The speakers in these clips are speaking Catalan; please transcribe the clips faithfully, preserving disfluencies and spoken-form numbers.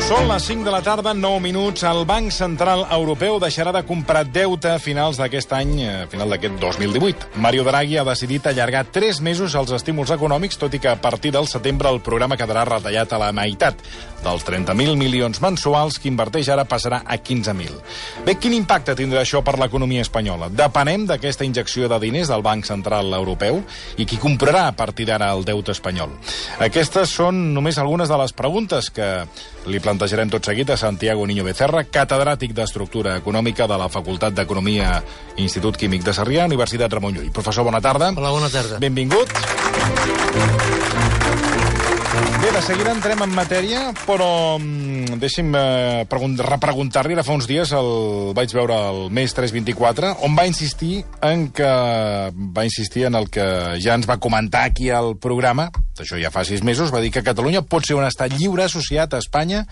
Són les cinc de la tarda, nou minuts. El Banc Central Europeu deixarà de comprar deute a finals d'aquest any, a final d'aquest dos mil divuit. Mario Draghi ha decidit allargar tres mesos els estímuls econòmics, tot i que a partir del setembre el programa quedarà retallat a la meitat. Dels trenta mil milions mensuals que inverteix ara passarà a quinze mil. Bé, quin impacte tindrà això per l'economia espanyola? Depenem d'aquesta injecció de diners del Banc Central Europeu i qui comprarà a partir d'ara el deute espanyol? Aquestes són només algunes de les preguntes que li plantejarem tot seguit a Santiago Niño Becerra, catedràtic d'Estructura Econòmica de la Facultat d'Economia Institut Químic de Sarrià, Universitat Ramon Llull. Professor, bona tarda. Hola, bona tarda. Benvingut. Bé, de seguida entrem en matèria, però mm, deixi'm eh, repreguntar-li. Ara fa uns dies el vaig veure al Més tres vint-i-quatre, on va insistir en que va insistir en el que ja ens va comentar aquí al programa, això ja fa sis mesos, va dir que Catalunya pot ser un estat lliure associat a Espanya,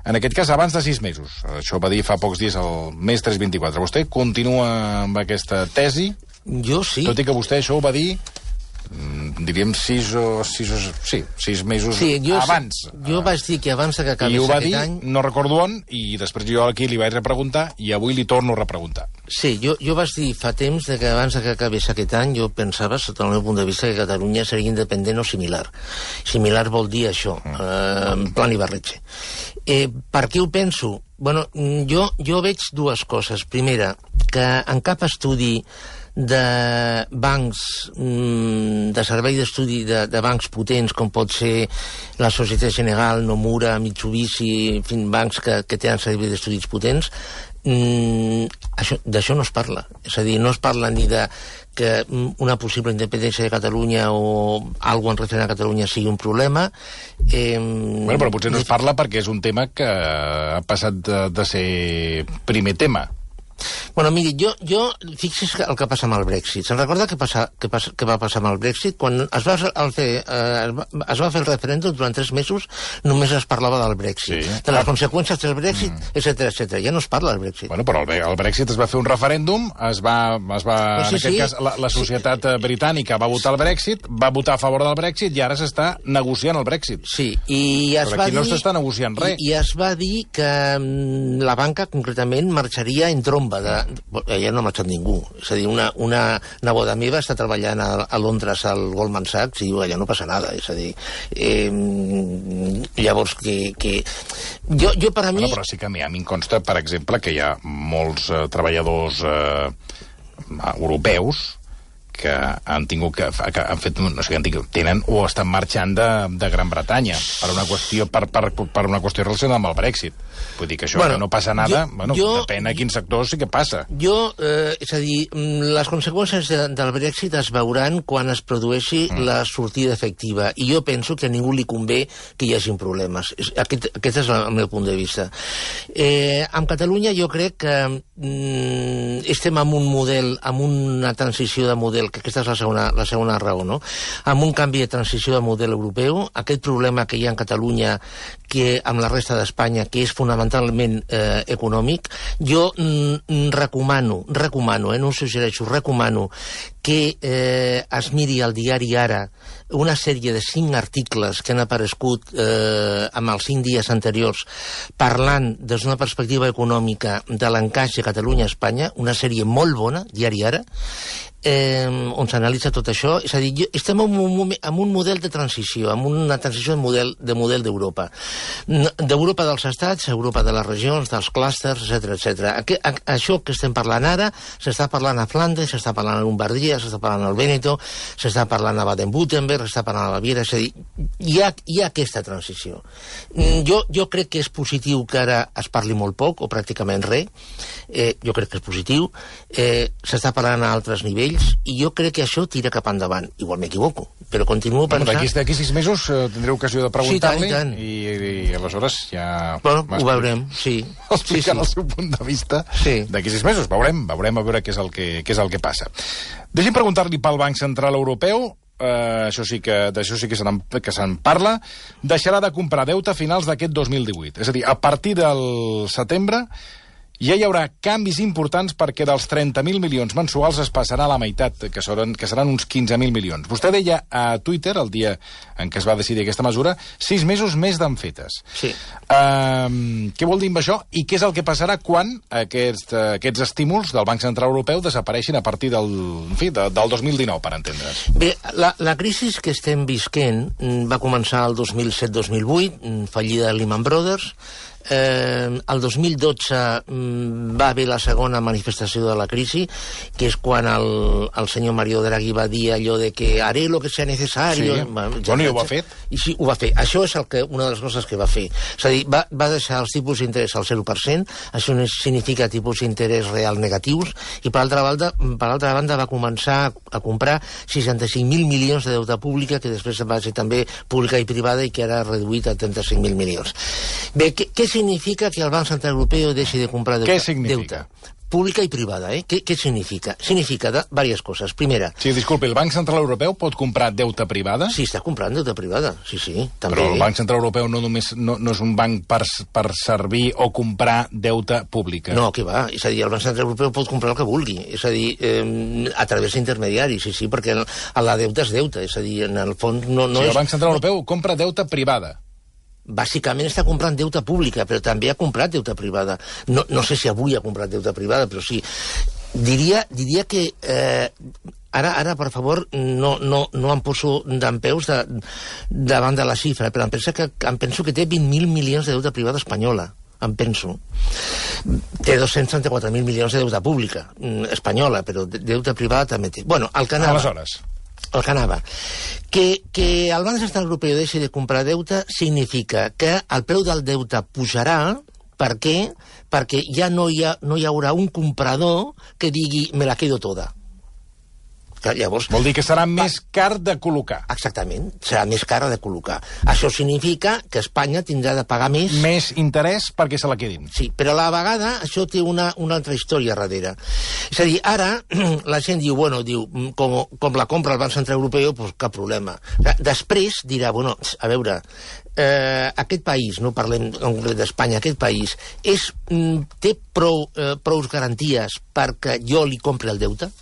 en aquest cas abans de sis mesos. Això va dir fa pocs dies al Més tres vint-i-quatre. Vostè continua amb aquesta tesi? Jo sí. Tot i que vostè això ho va dir, diríem, sis o... Sis, o sí, sis mesos sí, jo, abans. Jo vaig dir que abans que acabés I ho va aquest dir, any... no recordo on, i després jo aquí li vaig repreguntar, i avui li torno a repreguntar. Sí, jo, jo vaig dir fa temps de que abans que acabés aquest any jo pensava, sota el meu punt de vista, que Catalunya seria independent o similar. Similar vol dir això, mm. eh, en plan Ibarretxe. Eh, per què ho penso? Bueno, jo, jo veig dues coses. Primera, que en cap estudi de bancs, de servei d'estudi de, de bancs potents, com pot ser la Societat General, Nomura, Mitsubishi, en fi, bancs que, que tenen servei d'estudis potents, d'això no es parla. És a dir, no es parla ni de que una possible independència de Catalunya o alguna cosa referent a Catalunya sigui un problema. Eh, bueno, però potser no es parla perquè és un tema que ha passat de, de ser primer tema. Bueno, miri, jo, jo fixi's el que passa amb el Brexit. Se'n recorda què, passa, què, passa, què va passar amb el Brexit? Quan es va, el fer, eh, es va fer el referèndum, durant tres mesos només es parlava del Brexit, sí. de les conseqüències del Brexit, mm. etcètera, etcètera. Ja no es parla del Brexit. Bueno, però el, el Brexit es va fer un referèndum, es va, es va no, sí, en aquest sí. cas, la, la societat sí. britànica va votar el Brexit, va votar a favor del Brexit i ara s'està negociant el Brexit. Sí, i es però va aquí dir... no s'està negociant res. I, I es va dir que la banca, concretament, marxaria en tromba de... Ja no ha marxat ningú. És a dir, una, una neboda meva està treballant a, a Londres al Goldman Sachs i diu, allà no passa nada. És a dir, eh, llavors que... que... Jo, jo per a mi... Bueno, però sí que a mi, a mi em consta, per exemple, que hi ha molts eh, treballadors eh, europeus que han tingut que, que han fet, no sé, han tingut, tenen o estan marxant de, de Gran Bretanya per una qüestió per, per, per una qüestió relacionada amb el Brexit. Vull dir que això bueno, que no passa nada, jo, bueno, jo, depèn a quin sector sí que passa. Jo, eh, és a dir, les conseqüències de, del Brexit es veuran quan es produeixi mm. la sortida efectiva, i jo penso que a ningú li convé que hi hagin problemes. Aquest, aquest és el meu punt de vista. Eh, amb Catalunya jo crec que mm, estem en un model, en una transició de model, que aquesta és la segona, la segona raó, no? Amb un canvi de transició de model europeu, aquest problema que hi ha en Catalunya, que amb la resta d'Espanya, que és fonamentalment eh, econòmic, jo mm, recomano, recomano, eh, no ho suggereixo, recomano que eh, es miri al diari Ara una sèrie de cinc articles que han aparegut eh, amb els cinc dies anteriors parlant des d'una perspectiva econòmica de l'encaix de Catalunya a Espanya, una sèrie molt bona, diari Ara, eh, on s'analitza tot això. És a dir, estem en un, en un model de transició, en una transició de model de model d'Europa. D'Europa dels estats, Europa de les regions, dels clústers, etcètera, etcètera. Això que estem parlant ara, s'està parlant a Flandes, s'està parlant a Lombardia, s'està parlant al Vèneto, s'està parlant a Baden-Württemberg, s'està parlant a la Baviera, és a dir, hi ha, hi ha aquesta transició. Jo, jo crec que és positiu que ara es parli molt poc, o pràcticament res, eh, jo crec que és positiu, eh, s'està parlant a altres nivells, i jo crec que això tira cap endavant. Igual m'equivoco, però continuo pensant... Bueno, d'aquí sis mesos eh, tindré ocasió de preguntar-li, sí, tant, tant. I, i, i aleshores ja... Bueno, ho veurem, sí. Explicant sí, sí. el seu punt de vista sí. d'aquí sis mesos. Veurem, veurem a veure què és el que, què és el que passa. Deixi'm preguntar-li pel Banc Central Europeu, eh, això sí que, d'això sí que se'n que se'n parla, deixarà de comprar deute a finals d'aquest dos mil divuit. És a dir, a partir del setembre Ja hi haurà canvis importants perquè dels trenta mil milions mensuals es passarà a la meitat, que seran, que seran uns quinze mil milions. Vostè deia a Twitter, el dia en què es va decidir aquesta mesura, sis mesos més d'en fetes. Sí. Uh, què vol dir amb això? I què és el que passarà quan aquest, uh, aquests estímuls del Banc Central Europeu desapareixin a partir del, en fi, de, del dos mil dinou, per entendre's? Bé, la, la crisi que estem visquent va començar el dos mil set dos mil vuit, fallida de Lehman Brothers. Eh, el dos mil dotze va haver la segona manifestació de la crisi, que és quan el, el senyor Mario Draghi va dir allò de que haré lo que sea necesario. Sí. Bueno, bueno, i ho va fer. I sí, ho va fer. Això és el que, una de les coses que va fer. És a dir, va, va deixar els tipus d'interès al zero per cent, això significa tipus d'interès real negatius, i per altra banda, per altra banda va començar a comprar seixanta-cinc mil milions de deute pública, que després va ser també pública i privada i que ara ha reduït a trenta-cinc mil milions. Bé, què, què significa que el Banc Central Europeu deixi de comprar deute? Què significa? Deute. Pública i privada, eh? Què, què significa? Significa de, diverses coses. Primera... Sí, disculpi, el Banc Central Europeu pot comprar deute privada? Sí, està comprant deute privada, sí, sí, també. Però el Banc Central Europeu no només no, no és un banc per, per servir o comprar deute pública. No, què va? És a dir, el Banc Central Europeu pot comprar el que vulgui. És a dir, eh, a través d'intermediaris, sí, sí, perquè la deute és deute. És a dir, en el fons no, no sí, és... el Banc Central Europeu compra deute privada. Bàsicament està comprant deute pública, però també ha comprat deute privada. No, no sé si avui ha comprat deute privada, però sí. Diria, diria que... Eh, ara, ara, per favor, no, no, no em poso dempeus de, davant de la xifra, però em penso que, em penso que té vint mil milions de deute privada espanyola. Em penso. Té dos-cents trenta-quatre mil milions de deute pública espanyola, però deute privada també té. Bueno, el que anava... Aleshores... El que anava. Que, que el Banc Central Europeu deixi de comprar deute significa que el preu del deute pujarà. Per què? Perquè ja no hi, ha, no hi haurà un comprador que digui me la quedo toda. Que llavors, vol dir que serà més car de col·locar. Exactament, serà més cara de col·locar. Això significa que Espanya tindrà de pagar més... Més interès perquè se la quedin. Sí, però a la vegada això té una, una altra història darrere. És a dir, ara la gent diu, bueno, diu, com, com la compra el Banc Central Europeu, doncs cap problema. Després dirà, bueno, a veure, eh, aquest país, no parlem en concret d'Espanya, aquest país, és, té prou, eh, prou garanties perquè jo li compri el deute?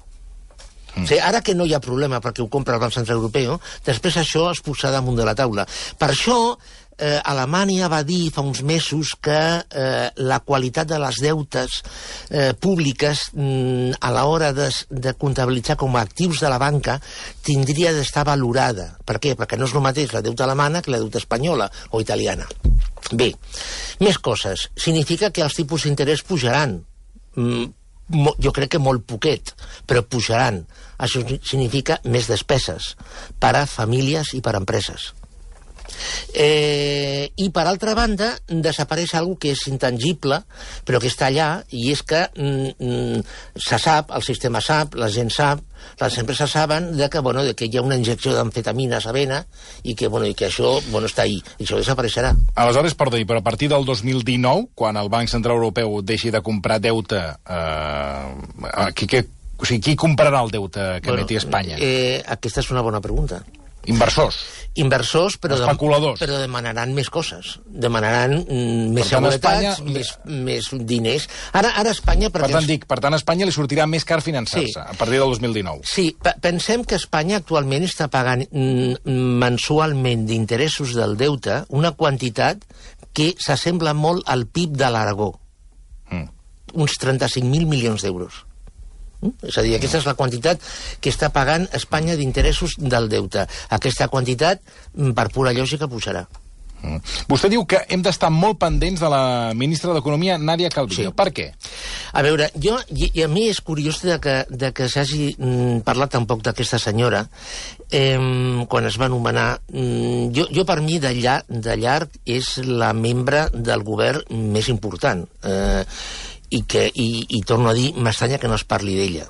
Mm. O sigui, ara que no hi ha problema perquè ho compra el Banc Central Europeu, després això es posarà damunt de la taula. Per això, eh, Alemanya va dir fa uns mesos que eh, la qualitat de les deutes eh, públiques mm, a l'hora de, de comptabilitzar com a actius de la banca tindria d'estar valorada. Per què? Perquè no és el mateix la deuta alemana que la deuta espanyola o italiana. Bé, més coses. Significa que els tipus d'interès pujaran. Mm, jo crec que molt poquet, però pujaran. Això significa més despeses per a famílies i per a empreses. Eh, I per altra banda desapareix algo que és intangible però que està allà, i és que mm, se sap, el sistema sap, la gent sap, les empreses saben de que, bueno, de que hi ha una injecció d'amfetamines a vena i que, bueno, i que això, bueno, està ahí i això desapareixerà. Aleshores, perdó, però a partir del dos mil dinou, quan el Banc Central Europeu deixi de comprar deute, eh, qui, qui, o sigui, qui comprarà el deute que bueno, meti Espanya? Eh, aquesta és una bona pregunta. Inversors. Inversors, però, especuladors. De, però demanaran més coses. Demanaran mm, més seguretats, Espanya... més, més diners. Ara, ara Espanya... Per tant, dic, per tant, a Espanya li sortirà més car finançar-se, sí, a partir del dos mil dinou. Sí, pensem que Espanya actualment està pagant mm, mensualment d'interessos del deute una quantitat que s'assembla molt al P I B de l'Aragó. Mm. Uns trenta-cinc mil milions d'euros. És a dir, aquesta és la quantitat que està pagant Espanya d'interessos del deute. Aquesta quantitat, per pura lògica, pujarà. Mm. Vostè diu que hem d'estar molt pendents de la ministra d'Economia, Nadia Calviño. Sí. Per què? A veure, jo, i, i a mi és curiós de que, de que s'hagi mm, parlat tan poc d'aquesta senyora eh, quan es va anomenar. Mm, jo, jo, per mi, de, llar, de llarg, és la membre del govern més important. Eh, i, que, i, i torno a dir, m'estranya que no es parli d'ella.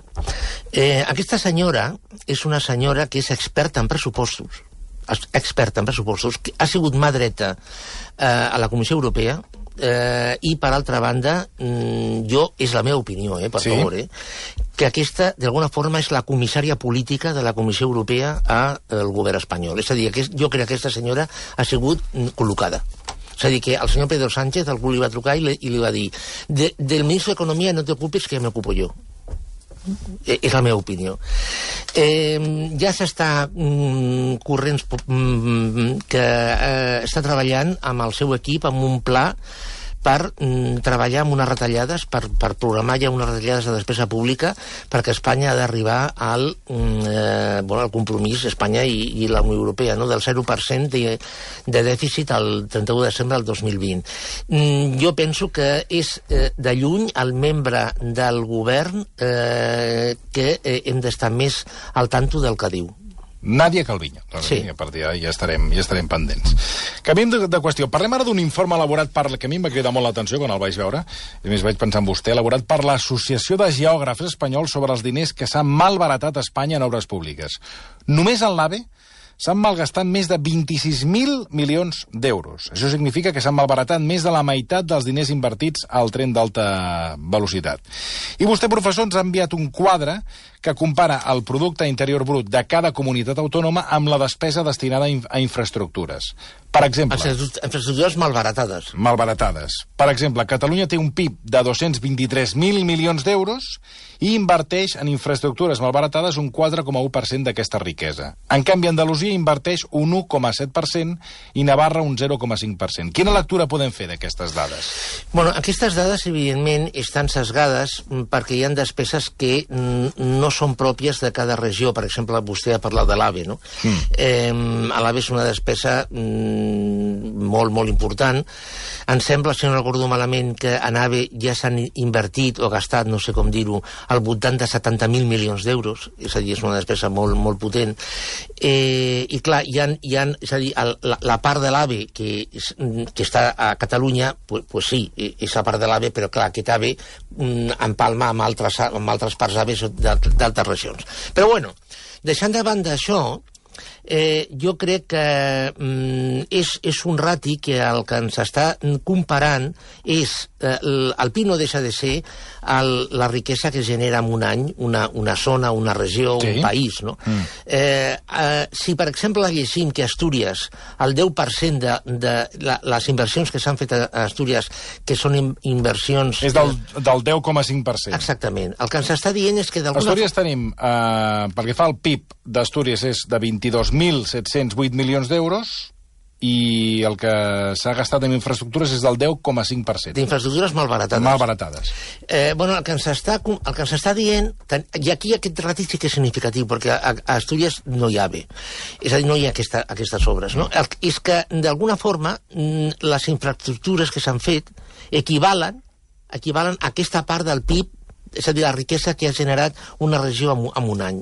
Eh, aquesta senyora és una senyora que és experta en pressupostos, experta en pressupostos, que ha sigut mà dreta eh, a la Comissió Europea, eh, i per altra banda, mm, jo, és la meva opinió, eh, per sí. favor, eh, que aquesta, d'alguna forma, és la comissària política de la Comissió Europea al govern espanyol. És a dir, que jo crec que aquesta senyora ha sigut col·locada. És a dir, que el senyor Pedro Sánchez, algú li va trucar i li, i li va dir de, del ministre d'Economia no t'ocupis que m'ocupo jo. Eh, és la meva opinió. Eh, ja s'està mm, corrents mm, que eh, està treballant amb el seu equip amb un pla per mm, treballar amb unes retallades, per, per programar ja unes retallades de despesa pública, perquè Espanya ha d'arribar al, mm, eh, bueno, al compromís, Espanya i, i la Unió Europea, no? Del zero per cent de, de dèficit al trenta-u de desembre del dos mil vint. Mm, jo penso que és eh, de lluny el membre del govern eh, que eh, hem d'estar més al tanto del que diu. Nadia Calviño. Doncs sí. A partir d'ara ja estarem, ja estarem pendents. Canviem de, de qüestió. Parlem ara d'un informe elaborat per, que a mi em va cridar molt l'atenció quan el vaig veure, i més vaig pensar en vostè, elaborat per l'Associació de Geògrafs Espanyols sobre els diners que s'han malbaratat a Espanya en obres públiques. Només en l'AVE s'han malgastat més de vint-i-sis mil milions d'euros. Això significa que s'han malbaratat més de la meitat dels diners invertits al tren d'alta velocitat. I vostè, professor, ens ha enviat un quadre que compara el producte interior brut de cada comunitat autònoma amb la despesa destinada a infraestructures. Per exemple... Infraestructures malbaratades. Malbaratades. Per exemple, Catalunya té un P I B de dos-cents vint-i-tres mil milions d'euros i inverteix en infraestructures malbaratades un quatre coma u per cent d'aquesta riquesa. En canvi, Andalusia inverteix un u coma set per cent i Navarra un zero coma cinc per cent. Quina lectura podem fer d'aquestes dades? Bueno, aquestes dades, evidentment, estan sesgades perquè hi ha despeses que no són pròpies de cada regió. Per exemple, vostè ha parlat de l'AVE, no? Mm. Eh, l'AVE és una despesa mm, molt, molt important. Em sembla, si no recordo malament, que en AVE ja s'han invertit o gastat, no sé com dir-ho, al voltant de setanta mil milions d'euros. És a dir, és una despesa molt, molt potent. Eh, I clar, hi ha, hi ha, és a dir, el, la, la part de l'AVE que, que està a Catalunya, pues, pues sí, és la part de l'AVE, però clar, aquest AVE mm, empalma amb altres, amb altres parts AVE d'altres regions. Però bueno, deixant de banda això, eh, jo crec que mm, és, és un rati que el que ens està comparant és eh, el, el P I B no deixa de ser el, la riquesa que genera en un any una, una zona, una regió, sí. Un país, no? Mm. Eh, eh, si, per exemple, llegim que Astúries, el deu per cent de, de la, les inversions que s'han fet a Astúries, que són in, inversions... És del, del deu coma cinc per cent. Exactament. El que ens està dient és que d'alguna... Astúries tenim, eh, perquè fa el P I B d'Astúries és de vint-i-dos mil set-cents vuit milions d'euros i el que s'ha gastat en infraestructures és del deu coma cinc per cent. D'infraestructures malbaratades. Malbaratades. Eh, bueno, el que ens està, el que ens està dient, i aquí aquest ràtic sí que és significatiu, perquè a, a Astúries no hi ha bé. És a dir, no hi ha aquesta, aquestes obres, no? El, és que, d'alguna forma, les infraestructures que s'han fet equivalen, equivalen a aquesta part del P I B, és a dir, la riquesa que ha generat una regió en, en un any.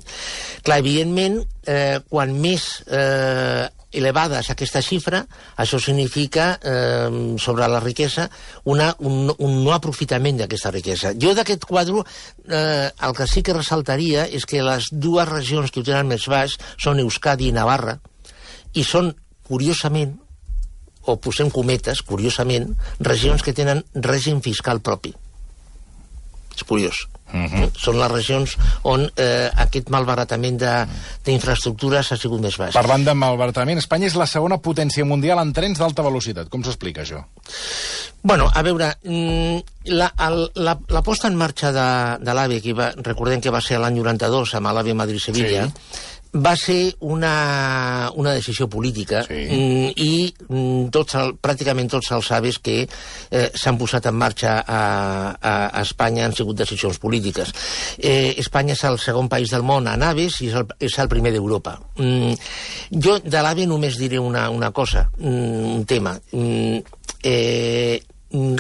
Clar, evidentment, eh, quan més eh, elevada és aquesta xifra, això significa, eh, sobre la riquesa, una, un, un no aprofitament d'aquesta riquesa. Jo d'aquest quadre, eh, el que sí que ressaltaria és que les dues regions que ho tenen més baix són Euskadi i Navarra, i són, curiosament, o posem cometes, curiosament, regions que tenen règim fiscal propi. És curiós. Uh-huh. Són les regions on eh, aquest malbaratament d'infraestructures ha sigut més baix. Parlant de malbaratament, Espanya és la segona potència mundial en trens d'alta velocitat. Com s'explica això? Bueno, a veure, la, el, la, la posta en marxa de, de l'AVE, que va, recordem que va ser l'any noranta-dos amb l'AVE Madrid-Sevilla, sí. Va ser una, una decisió política, sí. I tots el, pràcticament tots els AVEs que eh, s'han posat en marxa a, a, a Espanya han sigut decisions polítiques. Eh, Espanya és el segon país del món en AVEs i és el, és el primer d'Europa. Mm, jo de l'AVE només diré una, una cosa, un tema. Mm, eh,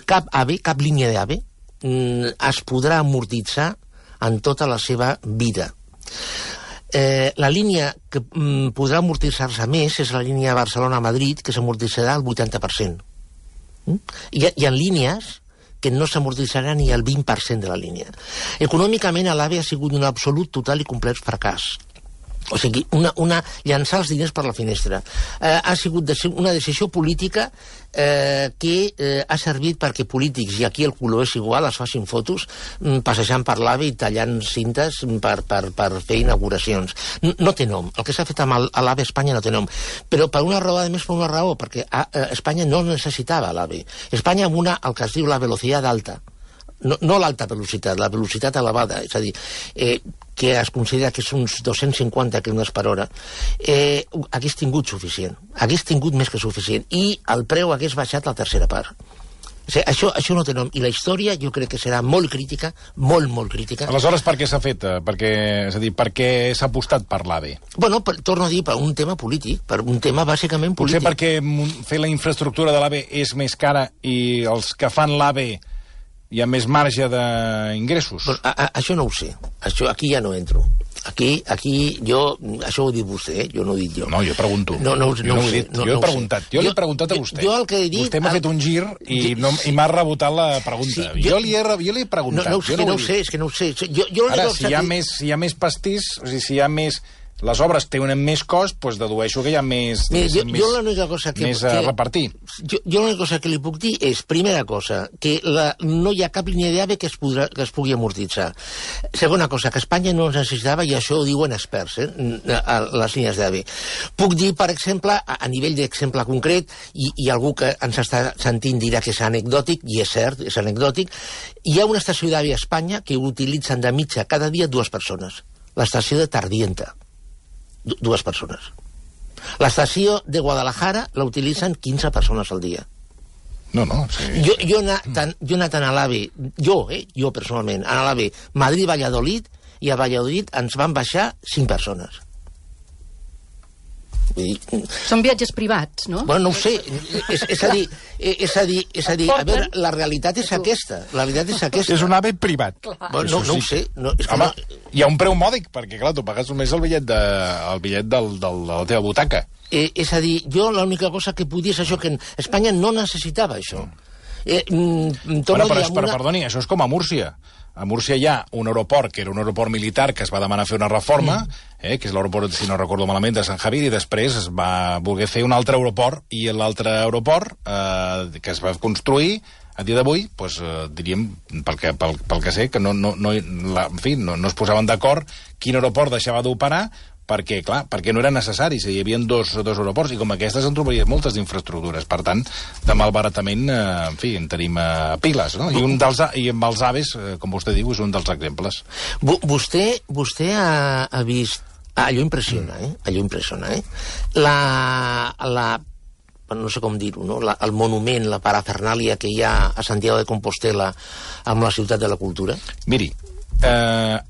cap AVE, cap línia d'AVE mm, es podrà amortitzar en tota la seva vida. Eh, la línia que mm, podrà amortitzar-se més és la línia Barcelona-Madrid, que s'amortitzarà al vuitanta per cent. Mm? Hi, ha, hi ha línies que no s'amortitzarà ni el vint per cent de la línia. Econòmicament, l'AVE ha sigut un absolut, total i complet fracàs. O sigui, una, una, llançar els diners per la finestra. Eh, ha sigut de, una decisió política eh, que eh, ha servit perquè polítics, i aquí el color és igual, es facin fotos mm, passejant per l'AVE i tallant cintes per, per, per fer inauguracions. No, no té nom. El que s'ha fet amb l'AVE a Espanya no té nom. Però per una raó, a més per una raó, perquè a, a Espanya no necessitava l'AVE. Espanya amb una, el que es diu la velocitat alta, no, no l'alta velocitat, la velocitat elevada, és a dir, eh, que es considera que és uns dos-cents cinquanta quilòmetres per hora, eh, hagués tingut suficient, hagués tingut més que suficient, i el preu hagués baixat la tercera part. O sigui, això, això no té nom, i la història jo crec que serà molt crítica, molt, molt crítica. Aleshores, per què s'ha fet? Perquè, és a dir, per què s'ha apostat per l'AVE? Bueno, per, torno a dir, per un tema polític, per un tema bàsicament polític. Potser perquè fer la infraestructura de l'AVE és més cara i els que fan l'AVE hi ha més marge d'ingressos? Bueno, a, a, això no ho sé. Això, aquí ja no entro. Aquí, aquí, jo... Això ho ha dit vostè, eh? Jo no ho he dit jo. No, jo pregunto. No, no, no, jo no ho he dit. No, jo he no preguntat. Jo, jo l'he preguntat a vostè. Jo el que he dit... Vostè m'ha el... fet un gir i, no, sí. i m'ha rebotat la pregunta. Sí, jo, jo, li he, jo li he preguntat. No, no, jo no, no no ho sé, és que no ho sé. Jo, jo Ara, si hi, ha més, si hi ha més pastís, o sigui, si hi ha més... Les obres tenen més cost, doncs dedueixo que hi ha més, Mira, jo, més, jo l'única cosa que, més a que, repartir. Jo, jo l'única cosa que li puc dir és, primera cosa, que la, no hi ha cap línia d'AVE que, es podrà, que es pugui amortitzar. Segona cosa, que Espanya no necessitava, i això ho diuen experts, eh, a les línies d'AVE. Puc dir, per exemple, a, a nivell d'exemple concret, i, i algú que ens està sentint dirà que és anecdòtic, i és cert, és anecdòtic, hi ha una estació d'AVE a Espanya que utilitzen de mitja cada dia dues persones. L'estació de Tardienta. Dues persones. L'estació de Guadalajara la utilitzen quinze persones al dia. No, no. Sí. Jo, jo, he anat, jo he anat a l'AVE, jo, eh, jo personalment, a l'AVE Madrid-Valladolid, i a Valladolid ens van baixar cinc persones. Són viatges privats, no? Bueno, no ho sé. És, és a dir, és a dir, és a dir, a veure, la realitat és aquesta. La realitat és aquesta. És un AVE privat. Bueno, no, no ho sé. No, és que Home, no... hi ha un preu mòdic, perquè, clar, tu pagues només el bitllet, de, el bitllet del, del, de la teva butaca. Eh, és a dir, jo l'única cosa que podia és això, que Espanya no necessitava això. Eh, mm, bueno, però, una... però, perdoni, això és com a Múrcia. A Múrcia hi ha un aeroport, que era un aeroport militar, que es va demanar fer una reforma, mm. eh, que és l'aeroport, si no recordo malament, de Sant Javier, i després es va voler fer un altre aeroport, i l'altre aeroport eh, que es va construir, a dia d'avui, doncs, eh, diríem, pel que, pel, pel que sé, que no, no, no, la, en fi, no, no es posaven d'acord quin aeroport deixava d'operar, perquè, clar, perquè no era necessari, hi havia dos, dos aeroports, i com aquestes en trobaries moltes d'infraestructures. Per tant, de malbaratament, eh, en fi, en tenim eh, piles, no? I, un dels, I amb els aves, eh, com vostè diu, és un dels exemples. Vostè, vostè ha, ha vist... Ah, allò impressiona, eh? Allò impressiona, eh? La... la no sé com dir-ho, no? La, el monument, la parafernàlia que hi ha a Santiago de Compostela amb la ciutat de la cultura? Miri, eh...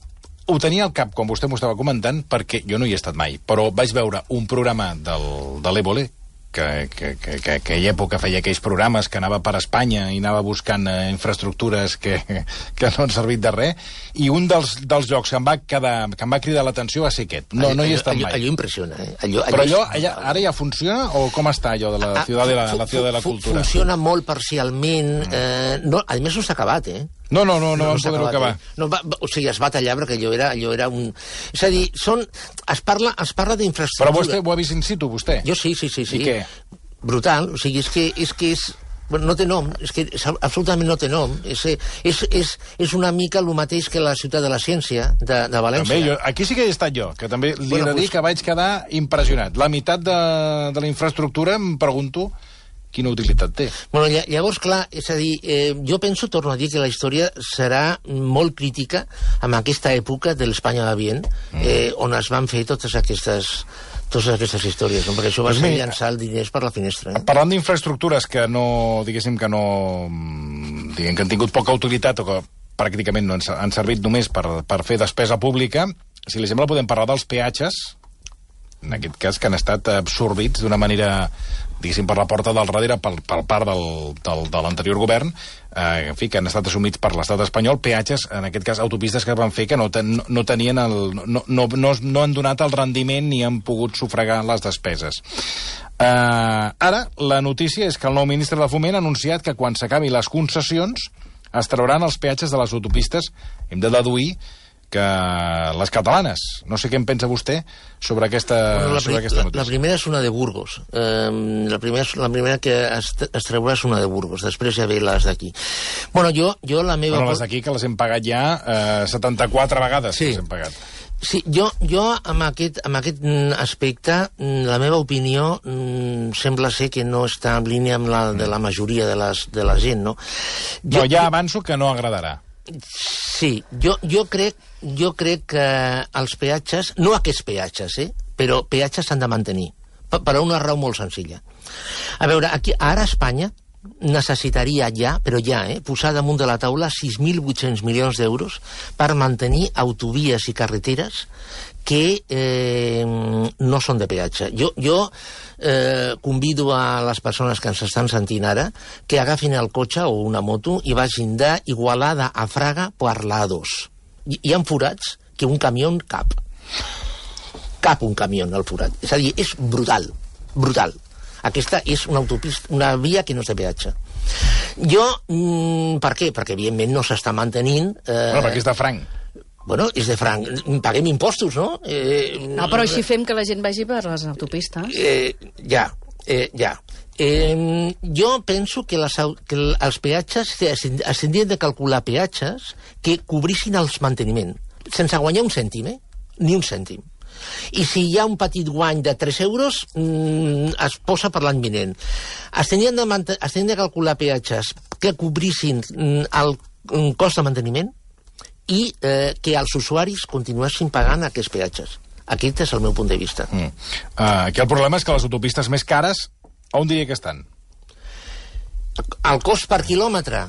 ho tenia al cap, quan vostè m'ho estava comentant, perquè jo no hi he estat mai, però vaig veure un programa del, de l'Évole, que, que, que, que aquella època feia aquells programes que anava per Espanya i anava buscant eh, infraestructures que, que no han servit de res, i un dels, dels jocs que em va, quedar, que em va cridar l'atenció va ser aquest. No, allò, no hi he estat allò, mai. Allò impressiona, eh? Allò, allò Però allò, allà, ara ja funciona, o com està allò de la ciutat de la, la, ciutat de la cultura? Funciona molt parcialment. Eh, no, a més no s'ha acabat, eh? No, no, no, no, no vam poder-ho acabar. Eh? No, va, o sigui, es va tallar perquè allò era, allò era un... És a dir, són, es parla, es parla d'infraestructura. Però vostè ho ha vist in situ, vostè? Jo sí, sí, sí. sí. I què? Brutal, o sigui, és que és... Que és bueno, no té nom, és que és, absolutament no té nom. És, és, és, és una mica el mateix que la ciutat de la ciència de, de València. També, jo, aquí sí que he estat jo, que també li bueno, he de dir pues... que vaig quedar impressionat. La meitat de, de la infraestructura, em pregunto quina utilitat té. Bueno, llavors, clar, és a dir, eh, jo penso, torno a dir, que la història serà molt crítica amb aquesta època de l'Espanya va bien, eh, on es van fer totes aquestes... totes aquestes històries, no? Perquè això va ser llançar el diners per la finestra. Eh? Parlant d'infraestructures que no, diguéssim que no, diguem que han tingut poca utilitat o que pràcticament no han servit només per, per fer despesa pública, si li sembla podem parlar dels peatges, en aquest cas que han estat absorbits d'una manera, diguéssim, per la porta del darrere per, per part del, del, de l'anterior govern, eh, en fi, que han estat assumits per l'estat espanyol, peatges, en aquest cas autopistes que van fer que no, ten, no tenien el... No, no, no, no han donat el rendiment ni han pogut sufragar les despeses. Eh, ara, la notícia és que el nou ministre de Foment ha anunciat que quan s'acabi les concessions es trauran els peatges de les autopistes. Hem de deduir que les catalanes. No sé què en pensa vostè sobre aquesta, bueno, la, sobre aquesta la, notícia. la primera és una de Burgos. Eh, la, primera, la primera que es, es treurà és una de Burgos. Després ja ve les d'aquí. Bueno, jo, jo la meva... Bueno, les d'aquí que les hem pagat ja eh, setanta-quatre vegades. Sí. Les hem pagat. Sí, jo, jo amb, aquest, amb aquest aspecte, la meva opinió sembla ser que no està en línia amb la de la majoria de, les, de la gent, no? Jo, no, ja avanço que no agradarà. Sí, jo, jo, crec, jo crec que els peatges, no aquests peatges, eh, però peatges s'han de mantenir, per, per una raó molt senzilla. A veure, aquí, ara a Espanya necessitaria ja, però ja, eh, posar damunt de la taula sis mil vuit-cents milions d'euros per mantenir autovies i carreteres que eh, no són de peatge. Jo, jo eh, convido a les persones que ens estan sentint ara que agafin el cotxe o una moto i vagin d'Igualada a Fraga per l'A dos. Hi, hi ha forats que un camió cap. Cap un camió al forat. És a dir, és brutal, brutal. Aquesta és una autopista, una via que no és de peatge. Jo, mm, per què? Perquè, evidentment, no s'està mantenint... Eh... Bueno, perquè és de franc. Bueno, és de franc. Paguem impostos, no? Eh... No, però així fem que la gent vagi per les autopistes. Eh, ja, eh, ja. Eh, jo penso que, les, que els peatges es tindrien de calcular peatges que cobrissin els manteniment, sense guanyar un cèntim, eh? Ni un cèntim. I si hi ha un petit guany de tres euros, mmm, es posa per l'any vinent. Es tindrien de, es tindrien de calcular peatges que cobrissin mm, el mm, cost de manteniment i eh, que els usuaris continuessin pagant aquests peatges. Aquest és el meu punt de vista. Mm. Uh, aquí el problema és que les autopistes més cares, on diria que estan? El cost per quilòmetre,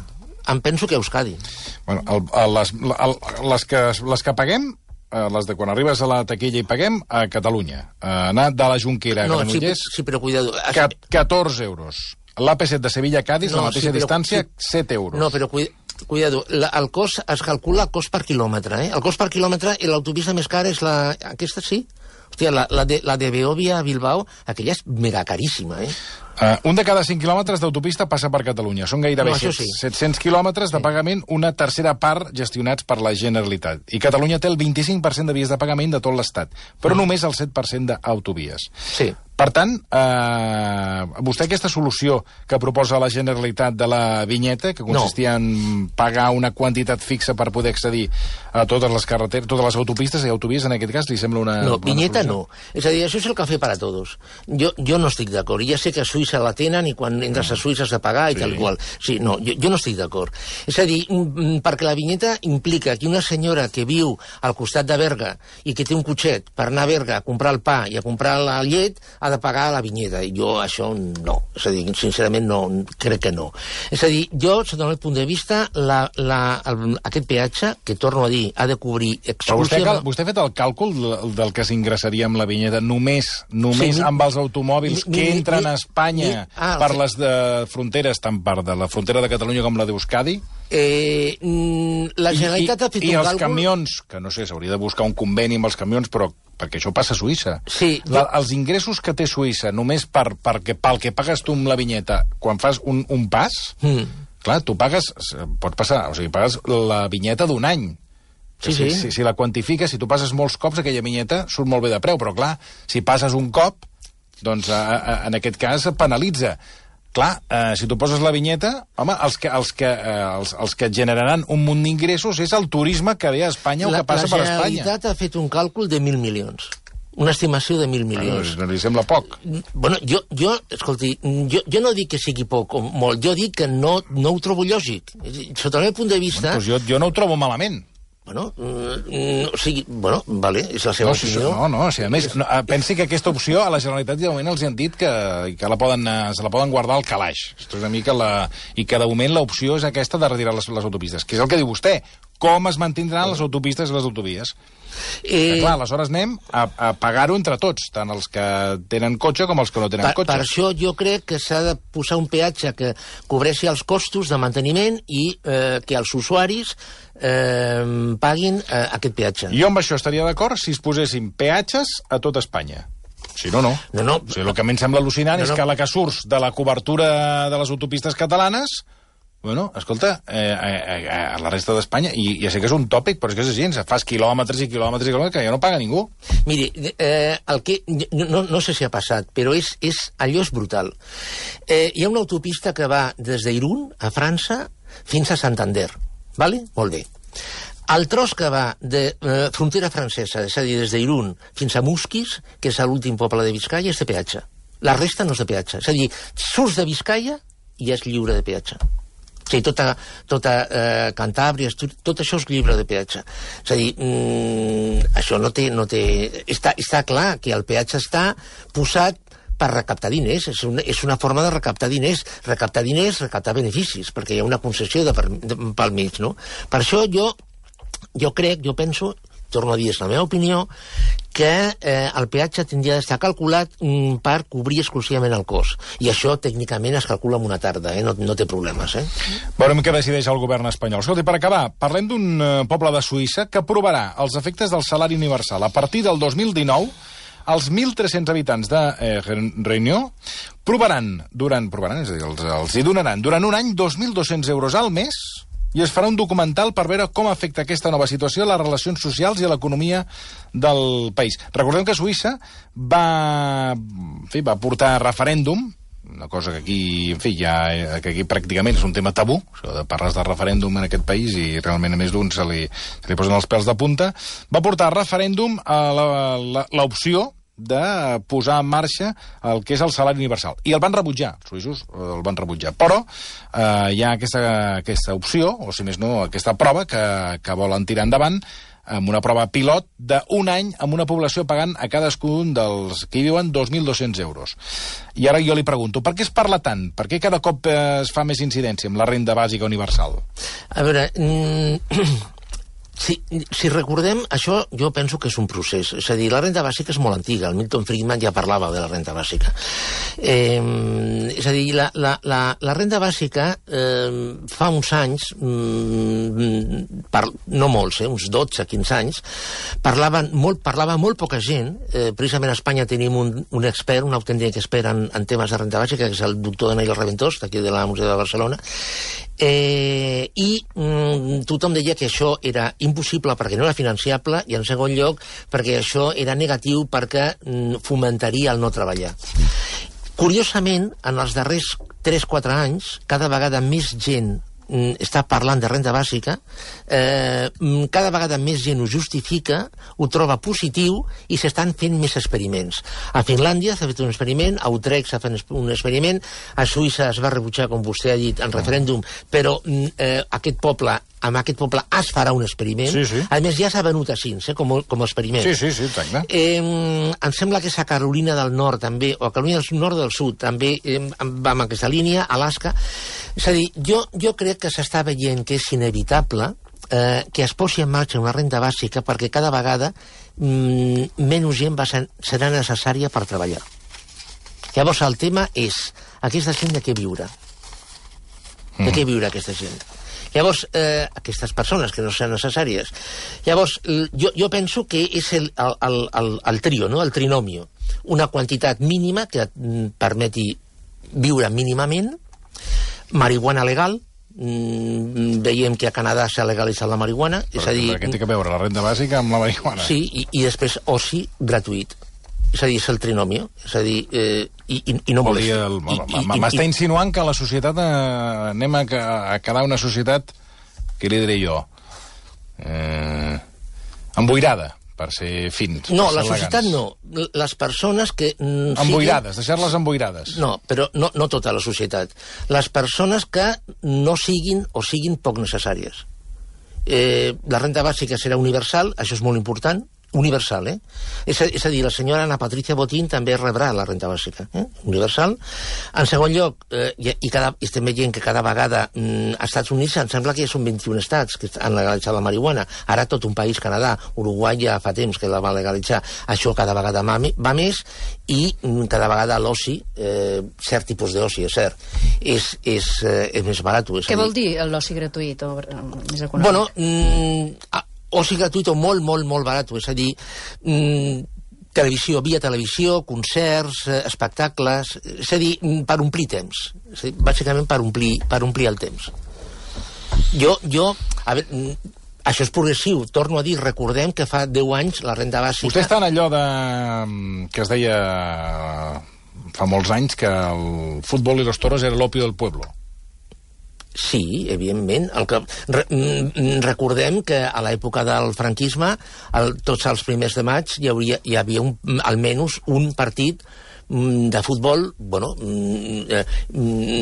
em penso que a Euskadi. Bueno, el, el, les, el, les, que, les que paguem, les de quan arribes a la taquilla i paguem, a Catalunya. Uh, anar de la Jonquera a no, Granollers, sí, sí, però cuidado. catorze euros. L'A P set de Sevilla a Cádiz, no, la mateixa sí, però, distància, sí, set euros. No, però cuidado, la, el cost es calcula el cost per quilòmetre, eh? El cost per quilòmetre i l'autopista més cara és la... Aquesta sí? Hòstia, la, la, de, la de Beòvia a Bilbao, aquella és mega caríssima, eh? Uh, un de cada cinc quilòmetres d'autopista passa per Catalunya. Són gairebé no, sí. set-cents quilòmetres de pagament, una tercera part gestionats per la Generalitat. I Catalunya té el vint-i-cinc per cent de vies de pagament de tot l'Estat, però mm. només el set per cent d'autovies. Sí. Per tant, eh, vostè aquesta solució que proposa la Generalitat de la vinyeta, que consistia no. en pagar una quantitat fixa per poder accedir a totes les carreteres, totes les autopistes i autovies, en aquest cas, li sembla una... No, una vinyeta solució? no. És a dir, això és el cafè per a tots. Jo, jo no estic d'acord. Ja sé que a Suïssa la tenen i quan entres a Suïssa has de pagar i sí. tal igual. Sí, no, jo, jo no estic d'acord. És a dir, perquè la vinyeta implica que una senyora que viu al costat de Berga i que té un cotxet per anar a Berga a comprar el pa i a comprar la llet ha de pagar la vinyeta. I jo això no. És a dir, sincerament no, crec que no. És a dir, jo, sota el meu punt de vista, la, la, el, aquest peatge, que torno a dir, ha de cobrir exclusivament... Però vostè, vostè ha fet el càlcul del, del que s'ingressaria amb la vinyeta només, només sí, amb els automòbils mi, que entren mi, a Espanya mi, ah, per sí. les de fronteres, tant per de la frontera de Catalunya com la d'Euskadi? Eh, la Generalitat I, ha fet i, un i els càlcul... camions, que no sé, s'hauria de buscar un conveni amb els camions, però perquè això passa a Suïssa. Sí, la, els ingressos que té Suïssa només per, per que, pel que pagues tu amb la vinyeta quan fas un, un pas, mm. clar, tu pagues, pot passar, o sigui, pagues la vinyeta d'un any. Sí, si, sí. Si, si la quantifiques, si tu passes molts cops, aquella vinyeta surt molt bé de preu, però clar, si passes un cop, doncs a, a, en aquest cas penalitza. Clar, eh, si tu poses la vinyeta, home, els que, els que, eh, els, els que generaran un munt d'ingressos és el turisme que ve a Espanya o que passa per Espanya. La Generalitat ha fet un càlcul de mil milions. Una estimació de mil milions. No, no li sembla poc. Bueno, jo, jo escolti, jo, jo no dic que sigui poc o molt, jo dic que no, no ho trobo lògic. Sota el meu punt de vista... Bueno, doncs jo, jo no ho trobo malament. Bueno, mm, o sigui, bueno, vale, és la seva no, opinió. No, no, o sigui, a més, no, pensi que aquesta opció a la Generalitat de moment els han dit que, que la poden, se la poden guardar al calaix. Esto és una mica la, i que de moment l'opció és aquesta de retirar les, les autopistes, que és el que diu vostè. Com es mantindran les autopistes i les autovies? Eh... Clar, aleshores anem a, a pagar-ho entre tots, tant els que tenen cotxe com els que no tenen per, cotxe. Per això jo crec que s'ha de posar un peatge que cobreixi els costos de manteniment i eh, que els usuaris eh, paguin eh, aquest peatge. Jo amb això estaria d'acord si es posessin peatges a tot Espanya. Si no, no. no, no. O sigui, el que a mi em sembla al·lucinant no, no. és que la que surts de la cobertura de les autopistes catalanes, Bueno, escolta, eh, eh, a la resta d'Espanya, i ja sé que és un tòpic, però és que és així, fas quilòmetres i quilòmetres i quilòmetres que ja no paga ningú. Miri, eh, el que, no, no sé si ha passat, però és, és, allò és brutal. Eh, hi ha una autopista que va des d'Irún, a França, fins a Santander. Vale? Molt bé. El tros que va de eh, frontera francesa, és a dir, des d'Irún fins a Musquis, que és l'últim poble de Biscaia, és de peatge. La resta no és de peatge. És a dir, surts de Biscaia i és lliure de peatge. O sigui, tota, tota eh, Cantàbria, tot això és lliure de peatge. És a dir, mm, això no té... No té està, està clar que el peatge està posat per recaptar diners, és una, és una forma de recaptar diners, recaptar diners, recaptar beneficis, perquè hi ha una concessió de, de, pel mig, no? Per això jo, jo crec, jo penso, torno a dir, és la meva opinió, que eh, el peatge tindria d'estar calculat mm, per cobrir exclusivament el cost. I això, tècnicament, es calcula en una tarda, eh? no, no té problemes. Eh? Veurem què decideix el govern espanyol. Escolta, per acabar, parlem d'un eh, poble de Suïssa que provarà els efectes del salari universal. A partir del dos mil dinou, els mil tres-cents habitants de eh, Réunion provaran, durant, provaran, és a dir, els, els hi donaran durant un any dos mil dos-cents euros al mes, i es farà un documental per veure com afecta aquesta nova situació a les relacions socials i a l'economia del país. Recordem que Suïssa va, en fi, va portar referèndum, una cosa que aquí, en fi, ja, que aquí pràcticament és un tema tabú, això de parles de referèndum en aquest país i realment a més d'un se li, se li posen els pèls de punta, va portar referèndum a l'opció de posar en marxa el que és el salari universal. I el van rebutjar, els suïssos el van rebutjar. Però eh, hi ha aquesta, aquesta opció, o si més no, aquesta prova que, que volen tirar endavant, amb una prova pilot d'un any amb una població pagant a cadascun dels que hi viuen dos mil dos-cents euros. I ara jo li pregunto, per què es parla tant? Per què cada cop es fa més incidència amb la renda bàsica universal? A veure... Mm... Si, si recordem, això jo penso que és un procés. És a dir, la renda bàsica és molt antiga. El Milton Friedman ja parlava de la renda bàsica. Eh, és a dir, la, la, la, la renda bàsica eh, fa uns anys, mm, par, no molts, eh, uns dotze quinze anys, parlaven molt, parlava molt poca gent. Eh, precisament a Espanya tenim un, un expert, un autèntic expert en, en temes de renda bàsica, que és el doctor Daniel Reventós, d'aquí de la Museu de Barcelona. Eh, i mm, tothom deia que això era impossible perquè no era financiable i en segon lloc perquè això era negatiu perquè mm, fomentaria el no treballar. Curiosament, en els darrers tres quatre anys, cada vegada més gent mm, està parlant de renda bàsica, eh, cada vegada més gent ho justifica, ho troba positiu i s'estan fent més experiments. A Finlàndia s'ha fet un experiment, a Utrecht s'ha fet un experiment, a Suïssa es va rebutjar, com vostè ha dit, en referèndum, però eh, aquest poble amb aquest poble es farà un experiment. Sí, sí. A més, ja s'ha venut a Sins, eh, com, com a experiment. Sí, sí, sí, exacte. Eh, em sembla que és a Carolina del Nord, també, o a Carolina del Nord del Sud, també eh, va amb aquesta línia, Alaska. És a dir, jo, jo crec que s'està veient que és inevitable eh, que es posi en marxa una renda bàsica perquè cada vegada mm, menys gent va ser, serà necessària per treballar. Llavors, el tema és aquesta gent de què viure. De què viure aquesta gent? Llavors, eh, aquestes persones que no seran necessàries. Llavors, jo, jo penso que és el, el, el, el trio, no? El trinomio. Una quantitat mínima que et permeti viure mínimament, marihuana legal, mm, veiem que a Canadà s'ha legalitzat la marihuana, però, és a dir... Què té que veure la renda bàsica amb la marihuana? Sí, i, i després oci gratuït. És a dir, és el trinomio. És a dir, eh, i, i, i no molesti. M'està insinuant que la societat eh, anem a, a quedar una societat, què li diré jo, eh, emboirada, per ser fins. No, la societat no. Les persones que... Mm, emboirades, siguin... deixar-les emboirades. No, però no, no tota la societat. Les persones que no siguin o siguin poc necessàries. Eh, la renda bàsica serà universal, això és molt important, universal, eh? És a, és a dir, la senyora Ana Patricia Botín també rebrà la renta bàsica, eh? Universal. En segon lloc, eh, i, i cada, estem veient que cada vegada mm, als Estats Units em sembla que són vint-i-un estats que han legalitzat la marihuana. Ara tot un país, Canadà, Uruguai ja fa temps que la va legalitzar. Això cada vegada va, va més i mm, cada vegada l'oci, eh, cert tipus d'oci, és cert, és, és, eh, és més barat. És Què vol dir l'oci gratuït o més econòmic? Bueno, mm, oci gratuït o molt, molt, molt barat, és a dir, mmm, televisió, via televisió, concerts, eh, espectacles, és a dir, per omplir temps, és a dir, bàsicament per omplir, per omplir el temps. Jo, jo, a veure, això és progressiu. Torno a dir, recordem que fa deu anys la renda bàsica... Vostè està en allò de... que es deia fa molts anys que el futbol i los toros era l'opio del pueblo. Sí, evidentment. El que, re, recordem que a l'època del franquisme, el, tots els primers de maig, hi, hauria, hi havia un, almenys un partit de futbol, bueno,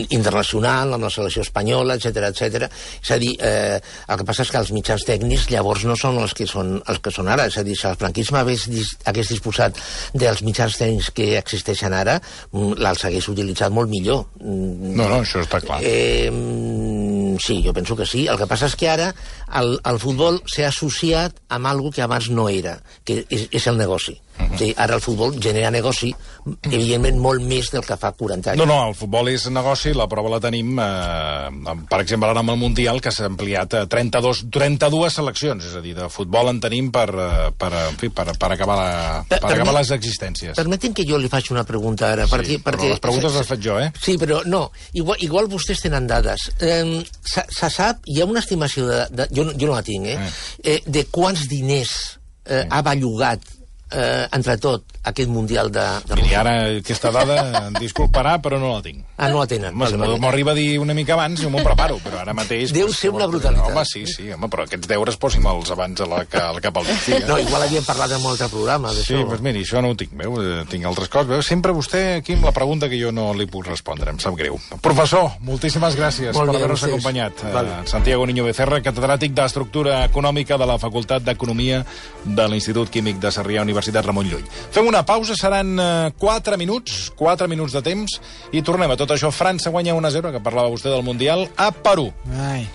internacional, amb la selecció espanyola, etcètera, etcètera. És a dir, eh, el que passa és que els mitjans tècnics llavors no són els que són, els que són ara. És a dir, si el franquisme hagués, hagués disposat dels mitjans tècnics que existeixen ara, els hagués utilitzat molt millor. No, no, això està clar. Eh, sí, jo penso que sí. El que passa és que ara el, el futbol s'ha associat amb alguna que abans no era, que és, és el negoci. Uh -huh. O sigui, ara el futbol genera negoci, evidentment, molt més del que fa quaranta anys. No, no, el futbol és negoci, la prova la tenim, eh, per exemple, ara amb el Mundial, que s'ha ampliat a trenta-dos, trenta-dues seleccions, és a dir, de futbol en tenim per, per, en fi, per, per, acabar, la, per, per acabar les existències. Permetin que jo li faci una pregunta ara. Sí, perquè, però perquè, les preguntes les faig jo, eh? Sí, però no, igual, igual vostès tenen dades. Eh, se, se sap, hi ha una estimació, de, de, jo, jo no la tinc, eh, eh de quants diners eh, ha bellugat eh, entre tot aquest Mundial de, de Miri, ara aquesta dada em disculparà, però no la tinc. Ah, no la tenen. M'ho arriba a dir una mica abans i m'ho preparo, però ara mateix... Deu ser una brutalitat. Home, sí, sí, home, però aquests deures posi'm-els abans a la, a la cap al migdia. No, igual havíem parlat en un altre programa, d'això. Sí, doncs miri, això no ho tinc, veu? Tinc altres coses. Veu? Sempre vostè aquí amb la pregunta que jo no li puc respondre, em sap greu. Professor, moltíssimes gràcies Molt per bé, haver-nos acompanyat. Vale. Santiago Niño Becerra, catedràtic d'Estructura Econòmica de la Facultat d'Economia de l'Institut Químic de Sarrià, Universitat Ramon Llull. Fem una pausa, seran quatre minuts, quatre minuts de temps, i tornem a tot això. França guanya un a zero, que parlava vostè del Mundial, a Perú. Ai...